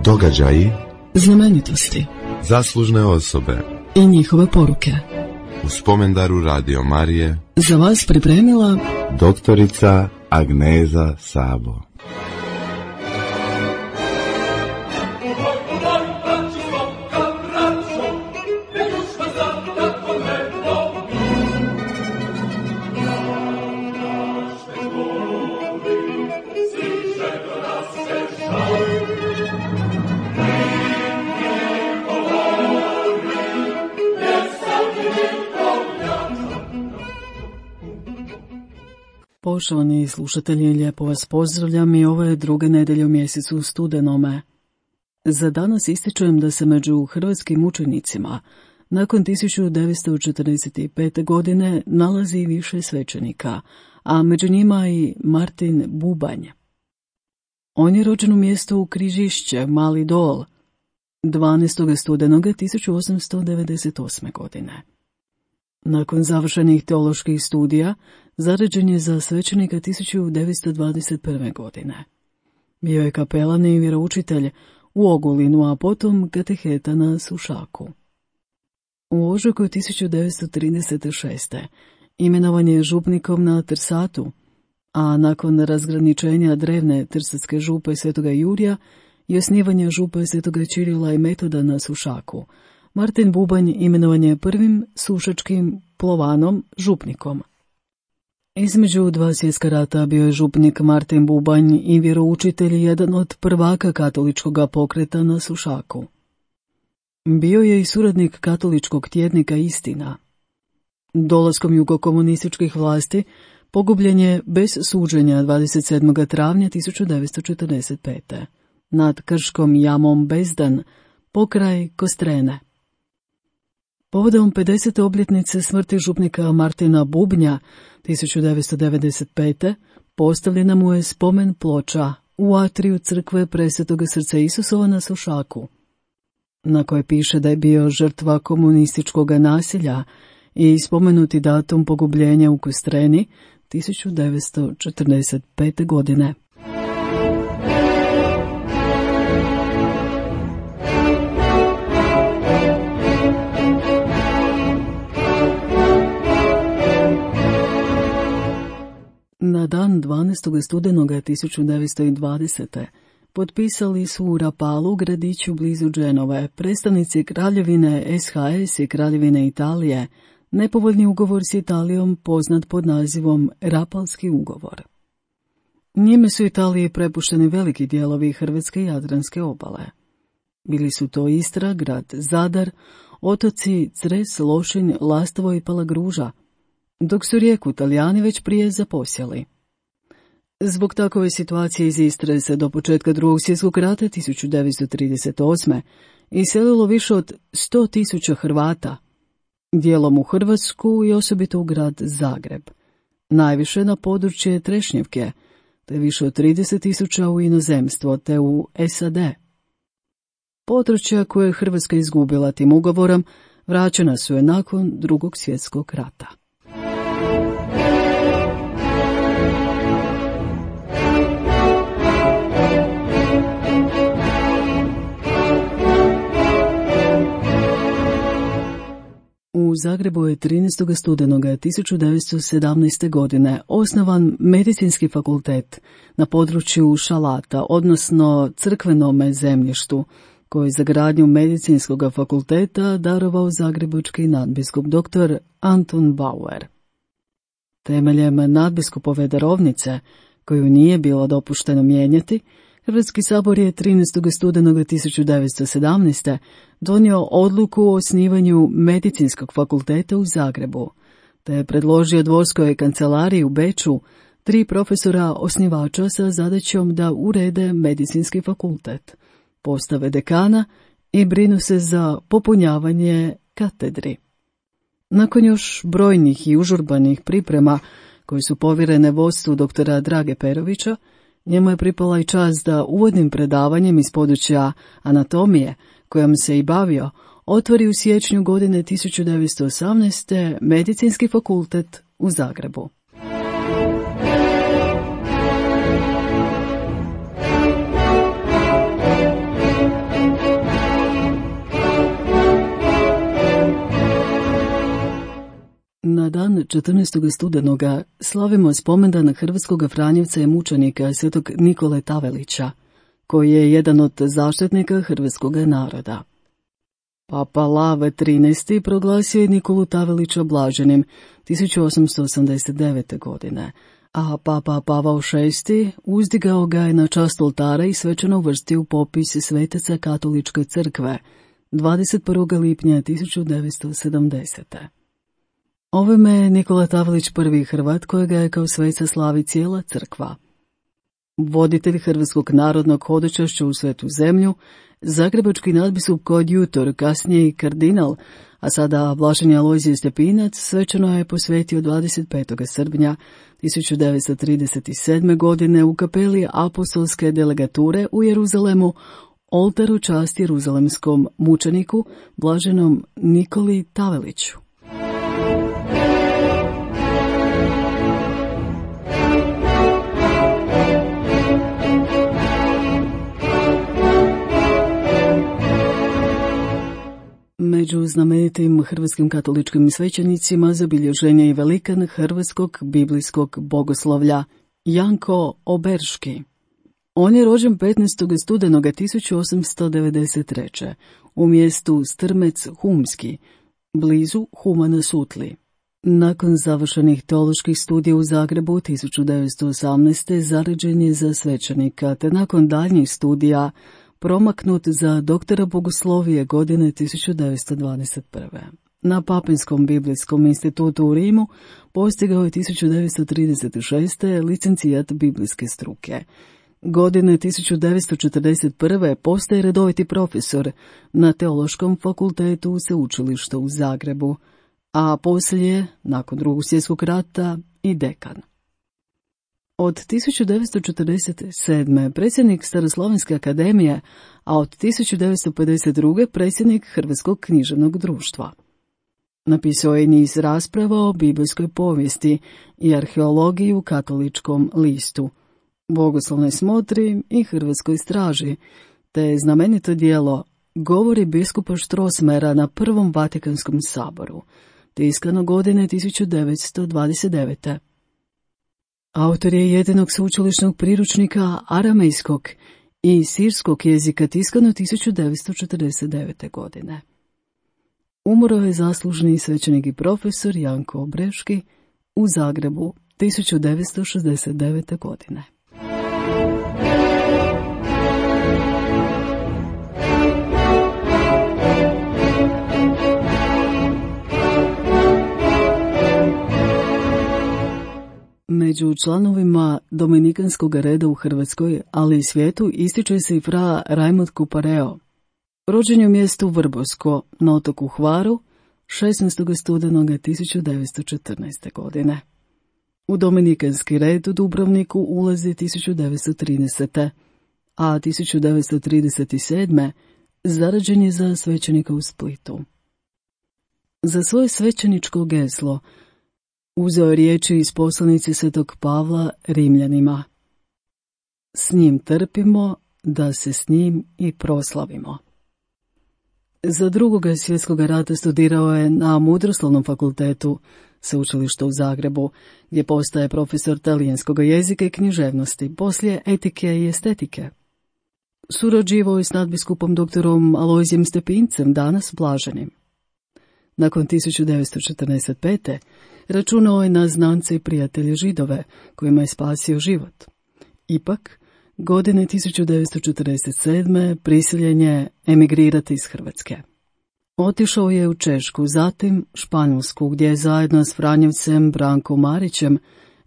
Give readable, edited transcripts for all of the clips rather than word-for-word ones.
Događaji, znamenitosti, zaslužne osobe i njihove poruke. U spomendaru Radio Marije Za vas pripremila doktorica Agneza Sabo. Poštovani slušatelji, lijepo vas pozdravljam i ovo je druga nedjelja u mjesecu studenome. Za danas ističujem da se među hrvatskim učenicima nakon 1945. godine nalazi više svećenika, a među njima i Martin Bubanj. On je rođen u mjestu Križišće, Mali Dol, 12. studenoga 1898. godine. Nakon završenih teoloških studija, zaređen je za svećenika 1921. godine. Bio je kapelan i vjeroučitelj u Ogulinu, a potom kateheta na Sušaku. U ožujku 1936. imenovan je župnikom na Trsatu, a nakon razgraničenja drevne Trsatske župe Svetoga Jurija i osnivanja župe Svetoga Čirila i Metoda na Sušaku, Martin Bubanj imenovan je prvim sušačkim plovanom župnikom. Između dva svjetska rata bio je župnik Martin Bubanj i vjeroučitelj jedan od prvaka katoličkog pokreta na Sušaku. Bio je i suradnik katoličkog tjednika Istina. Dolaskom jugokomunističkih vlasti pogubljen je bez suđenja 27. travnja 1945. nad Krškom jamom Bezdan pokraj Kostrene. Povodom 50. obljetnice smrti župnika Martina Bubnja 1995. postavljena mu je spomen ploča u atriju crkve Presvetoga srca Isusova na Sušaku, na kojoj piše da je bio žrtva komunističkog nasilja i spomenuti datum pogubljenja u Kostreni 1945. godine. Na dan 12. studenoga 1920. potpisali su u Rapalu, gradiću blizu Dženove, predstavnici kraljevine SHS i kraljevine Italije, nepovoljni ugovor s Italijom poznat pod nazivom Rapalski ugovor. Njime su Italiji prepušteni veliki dijelovi hrvatske i jadranske obale. Bili su to Istra, grad Zadar, otoci Cres, Lošinj, Lastovo i Palagruža, dok su Rijeku Talijani već prije zaposjeli. Zbog takove situacije iz Istre se do početka Drugog svjetskog rata 1938. iselilo više od 100.000 Hrvata, dijelom u Hrvatsku i osobito u grad Zagreb, najviše na područje Trešnjevke, te više od 30.000 u inozemstvo te u SAD. Područja koje je Hrvatska izgubila tim ugovorom vraćena su je nakon Drugog svjetskog rata. U Zagrebu je 13. studenoga 1917. godine osnovan medicinski fakultet na području Šalata, odnosno crkvenome zemljištu, koji je za gradnju medicinskog fakulteta darovao zagrebački nadbiskup dr. Anton Bauer. Temeljem nadbiskupove darovnice, koju nije bilo dopušteno mijenjati, Hrvatski sabor je 13. studenoga 1917. donio odluku o osnivanju medicinskog fakulteta u Zagrebu, te je predložio dvorskoj kancelariji u Beču 3 profesora osnivača sa zadaćom da urede medicinski fakultet, postave dekana i brinu se za popunjavanje katedri. Nakon još brojnih i užurbanih priprema koje su povjerene vodstvu doktora Drage Perovića, njemu je pripala i čast da uvodnim predavanjem iz područja anatomije, kojom se i bavio, otvori u siječnju godine 1918. medicinski fakultet u Zagrebu. 14. studenoga slavimo spomendan hrvatskog franjevca i mučenika svetog Nikole Tavelića, koji je jedan od zaštitnika hrvatskog naroda. Papa Lav XIII proglasio je Nikolu Tavelića blaženim 1889. godine, a Papa Pavao VI uzdigao ga je na čast oltara i svečano uvrstio u popis svetaca katoličke crkve 21. lipnja 1970. Ovime je Nikola Tavelić prvi Hrvat kojega je kao sveca slavi cijela crkva. Voditelj Hrvatskog narodnog hodočašća u svetu zemlju, zagrebački nadbiskup koadjutor, kasnije i kardinal, a sada blaženi Alojzije Stepinac, svečano je posvetio 25. srpnja 1937. godine u kapeli apostolske delegature u Jeruzalemu oltaru časti jeruzalemskom mučeniku, blaženom Nikoli Taveliću. Među znamenitim hrvatskim katoličkim svećenicima zabilježen je i velikan hrvatskog biblijskog bogoslovlja Janko Oberški. On je rođen 15. studenoga 1893. u mjestu Strmec Humski, blizu Huma na Sutli. Nakon završenih teoloških studija u Zagrebu 1918. zaređen je za svećenika, te nakon daljnjih studija promaknut za doktora bogoslovije godine 1921. Na Papinskom biblijskom institutu u Rimu postigao je 1936. licencijat biblijske struke. Godine 1941. postaje redoviti profesor na Teološkom fakultetu sveučilišta u Zagrebu, a poslije, nakon Drugog svjetskog rata, i dekan. Od 1947. predsjednik Staroslovenske akademije, a od 1952. predsjednik Hrvatskog književnog društva. Napisao je niz rasprava o biblijskoj povijesti i arheologiji u Katoličkom listu, Bogoslovnoj smotri i Hrvatskoj straži, te znamenito djelo Govori biskupa Štrosmera na Prvom Vatikanskom saboru, tiskano godine 1929. Autor je jedinog sveučilišnog priručnika aramejskog i sirskog jezika, tiskano 1949. godine. Umro je zaslužni svećenik i profesor Janko Oberški u Zagrebu 1969. godine. Među članovima dominikanskog reda u Hrvatskoj, ali i svijetu, ističe se i fra Rajmond Kupareo. Rođen je u mjestu Vrbosko na otoku Hvaru 16. studenoga 1914. godine. U dominikanski red u Dubrovniku ulazi 1930. a 1937. zarađen je za svećenika u Splitu. Za svoje svećeničko geslo uzeo je riječi iz poslanice svetog Pavla Rimljanima. S njim trpimo, da se s njim i proslavimo. Za Drugog svjetskog rata studirao je na Mudroslovnom fakultetu sveučilišta u Zagrebu, gdje postaje profesor talijanskog jezika i književnosti, poslije etike i estetike. Surađivao je s nadbiskupom doktorom Alojzijem Stepincem, danas blaženim. Nakon 1945. računao je na znance i prijatelje Židove, kojima je spasio život. Ipak, godine 1947. prisiljen je emigrirati iz Hrvatske. Otišao je u Češku, zatim Španjolsku, gdje je zajedno s Franjevcem Brankom Marićem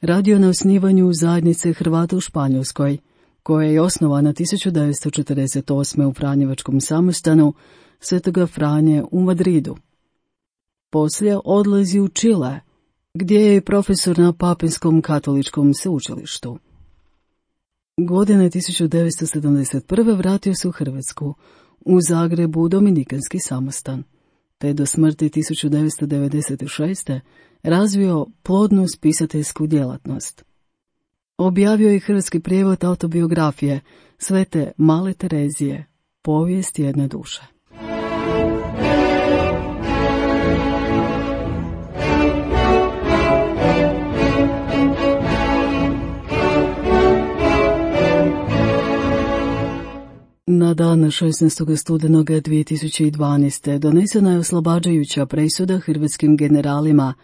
radio na osnivanju zajednice Hrvata u Španjolskoj, koja je osnovana 1948. u Franjevačkom samostanu Svetoga Franje u Madridu. Poslije odlazi u Čile, gdje je profesor na Papinskom katoličkom sveučilištu. Godine 1971. vratio se u Hrvatsku, u Zagrebu u dominikanski samostan, te do smrti 1996. razvio plodnu spisateljsku djelatnost. Objavio je hrvatski prijevod autobiografije Svete Male Terezije, Povijest jedne duše. Na dan 16. studenoga 2012. donesena je oslobađajuća presuda hrvatskim generalima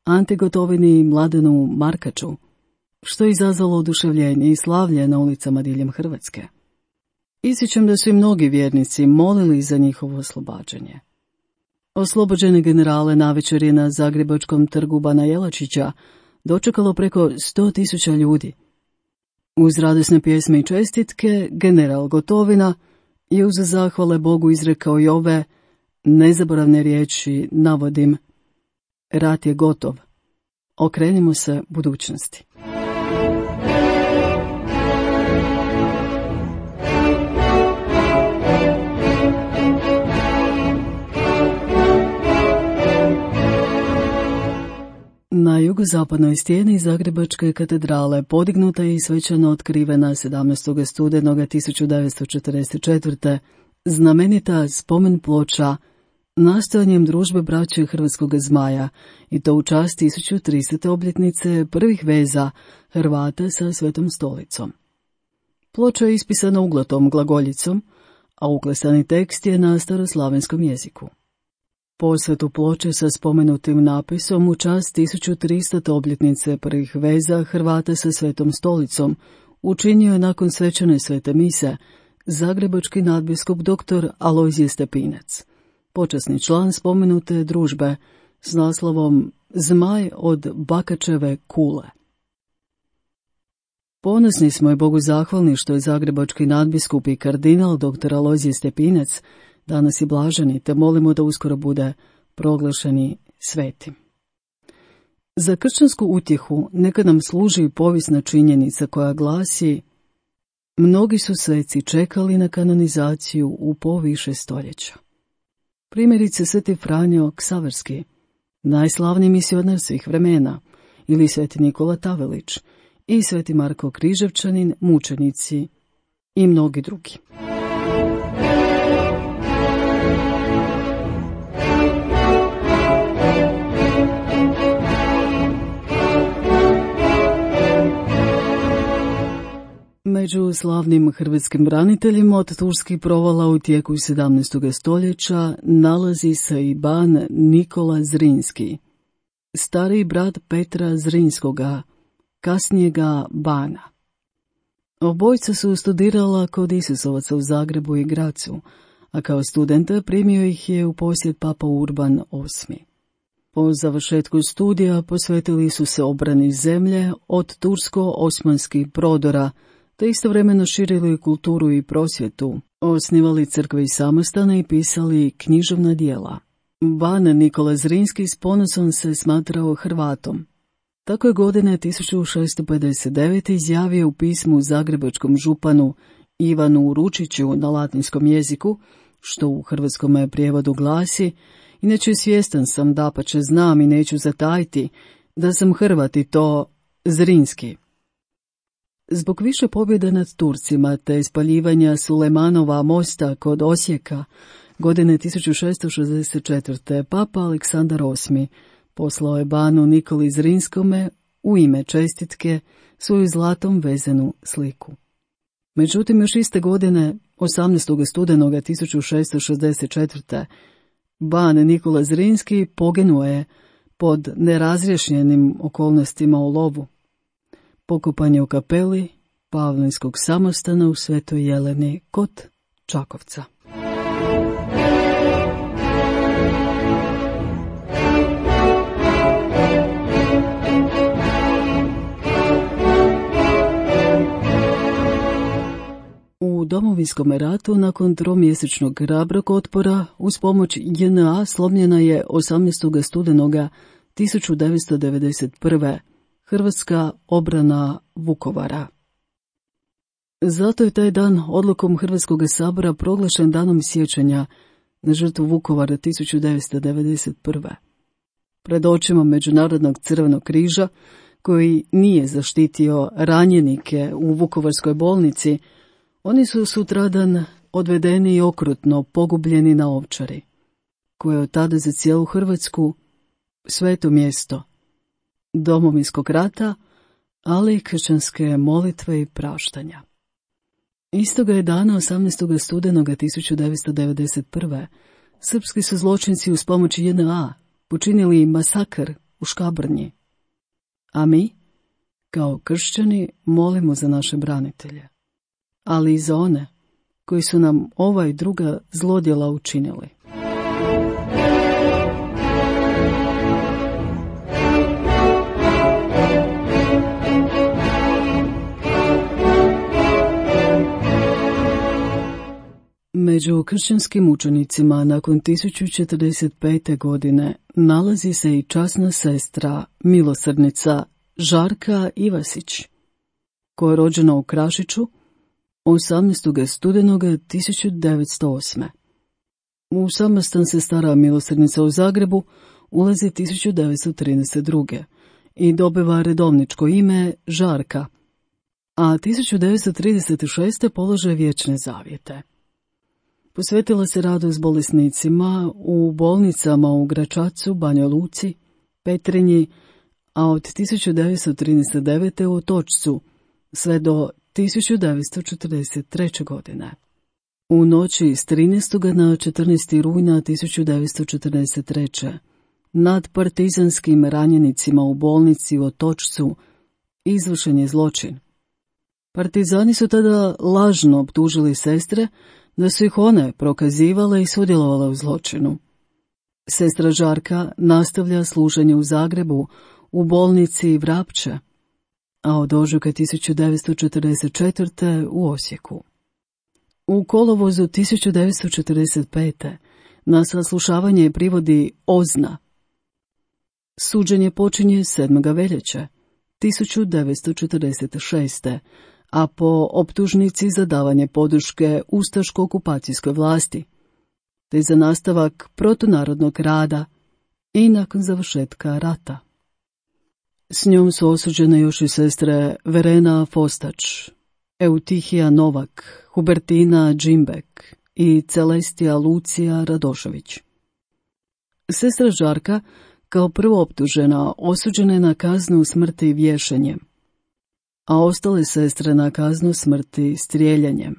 Ante Gotovini i Mladenu Markaču, što je izazvalo oduševljenje i slavlje na ulicama diljem Hrvatske. Ističem da su i mnogi vjernici molili za njihovo oslobađanje. Oslobođene generale navečer je na Zagrebačkom trgu Bana Jelačića dočekalo preko 100.000 ljudi. Uz radosne pjesme i čestitke, general Gotovina je uz zahvale Bogu izrekao i ove nezaboravne riječi, navodim: rat je gotov, okrenimo se budućnosti. Na jugozapadnoj stijeni Zagrebačke katedrale podignuta je i svečano otkrivena 17. studenoga 1944. znamenita spomen ploča nastojanjem družbe braće Hrvatskog zmaja, i to u čast 1300. obljetnice prvih veza Hrvata sa Svetom stolicom. Ploča je ispisana uglatom glagoljicom, a uklesani tekst je na staroslavenskom jeziku. Posvetu ploče sa spomenutim napisom u čast 1300. obljetnice prvih veza Hrvata sa Svetom stolicom učinio je nakon svečane svete mise zagrebački nadbiskup dr. Alojzije Stepinac, počasni član spomenute družbe s naslovom Zmaj od Bakačeve kule. Ponosni smo i Bogu zahvalni što je zagrebački nadbiskup i kardinal dr. Alojzije Stepinac danas je blaženi, te molimo da uskoro bude proglašeni svetim. Za kršćansku utjehu neka nam služi povijesna činjenica koja glasi: mnogi su sveci čekali na kanonizaciju u poviše stoljeća. Primjerice Sveti Franjo Ksaverski, najslavniji misionar svih vremena, ili Sveti Nikola Tavelić i Sveti Marko Križevčanin, mučenici i mnogi drugi. Među slavnim hrvatskim braniteljima od turskih provala u tijeku 17. stoljeća nalazi se i ban Nikola Zrinski, stariji brat Petra Zrinskoga, kasnijega bana. Obojca su studirala kod Isusovaca u Zagrebu i Gracu, a kao studenta primio ih je u posjet papa Urban VIII. Po završetku studija posvetili su se obrani zemlje od tursko-osmanskih prodora, te istovremeno širili kulturu i prosvjetu, osnivali crkve i samostane i pisali književna djela. Ban Nikola Zrinski s ponosom se smatrao Hrvatom. Tako je godine 1659. izjavio u pismu zagrebačkom županu Ivanu Ručiću na latinskom jeziku, što u hrvatskom prijevodu glasi: inače svjestan sam, dapače znam i neću zatajiti, da sam Hrvat i to Zrinski. Zbog više pobjeda nad Turcima te spaljivanja Sulejmanova mosta kod Osijeka godine 1664. papa Aleksandar VIII poslao je banu Nikoli Zrinskome u ime čestitke svoju zlatom vezanu sliku. Međutim, još iste godine, 18. studenoga 1664. ban Nikola Zrinski poginuo je pod nerazrješenim okolnostima u lovu. Pokopan je u kapeli Pavlinskog samostana u Svetoj Jeleni kod Čakovca. U Domovinskom ratu nakon tromjesečnog hrabrog otpora uz pomoć JNA slomljena je 18. studenoga 1991. Hrvatska obrana Vukovara. Zato je taj dan odlukom Hrvatskog sabora proglašen danom sjećanja na žrtvu Vukovara 1991. Pred očima Međunarodnog crvenog križa, koji nije zaštitio ranjenike u Vukovarskoj bolnici, oni su sutradan odvedeni i okrutno pogubljeni na Ovčari, koje je od tada za cijelu Hrvatsku sveto mjesto Domovinskog rata, ali i kršćanske molitve i praštanja. Istoga je dana 18. studenoga 1991. srpski su zločinci uz pomoć JNA počinili masakr u Škabrnji. A mi, kao kršćani, molimo za naše branitelje, ali i za one koji su nam ova i druga zlodjela učinili. Među kršćanskim mučenicima nakon 1045. godine nalazi se i časna sestra, milosrdnica Žarka Ivasić, koja je rođena u Krašiću 18. studenoga 1908. U samostan se stara milosrdnica u Zagrebu ulazi 1932. i dobiva redovničko ime Žarka, a 1936. polaže vječne zavjete. Posvetila se radu s bolesnicima u bolnicama u Gračacu, Banja Luci, Petrinji, a od 1939. u Otočcu sve do 1943. godine. U noći s 13. na 14. rujna 1943. nad partizanskim ranjenicima u bolnici u Otočcu izvršen je zločin. Partizani su tada lažno optužili sestre da su ih one prokazivale i sudjelovale u zločinu. Sestra Žarka nastavlja služenje u Zagrebu u bolnici Vrapče, a od ožujka 1944. u Osijeku. U kolovozu 1945. na saslušavanje je privodi Ozna. Suđenje počinje 7. veljače 1946. a po optužnici za davanje podrške ustaško-okupacijskoj vlasti, te za nastavak protunarodnog rada i nakon završetka rata. S njom su osuđene još i sestre Verena Fostač, Eutihija Novak, Hubertina Džimbek i Celestija Lucija Radošević. Sestra Žarka, kao prvo optužena, osuđena je na kaznu smrti vješanjem, a ostale sestre na kaznu smrti strijeljanjem.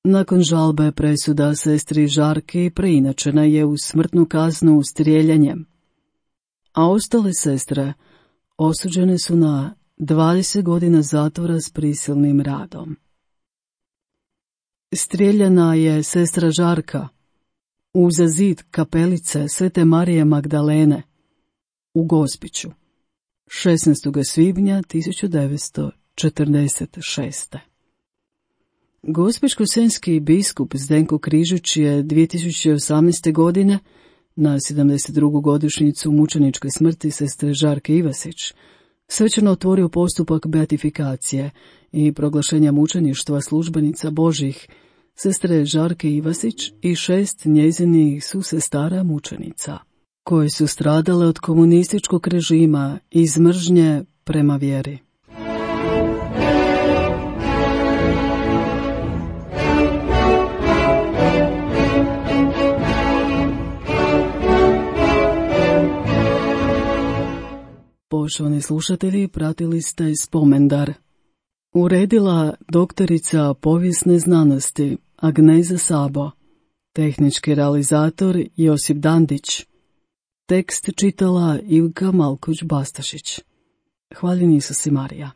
Nakon žalbe presuda sestri Žarki preinačena je u smrtnu kaznu strijeljanjem, a ostale sestre osuđene su na 20 godina zatvora s prisilnim radom. Strijeljana je sestra Žarka uza zid kapelice Svete Marije Magdalene u Gospiću 16. svibnja 1946. Gospićko-senjski biskup Zdenko Križić je 2018. godine na 72. godišnjicu mučeničke smrti sestre Žarke Ivasić svečano otvorio postupak beatifikacije i proglašenja mučeništva službenica Božjih sestre Žarke Ivasić i 6 njezinih susestara mučenica, koje su stradale od komunističkog režima iz mržnje prema vjeri. Poštovani slušatelji, pratili ste Spomendar. Uredila doktorica povijesne znanosti Agneza Sabo, tehnički realizator Josip Dandić, tekst čitala Ivka Malkoć-Bastašić. Hvaljen Isus i Marija.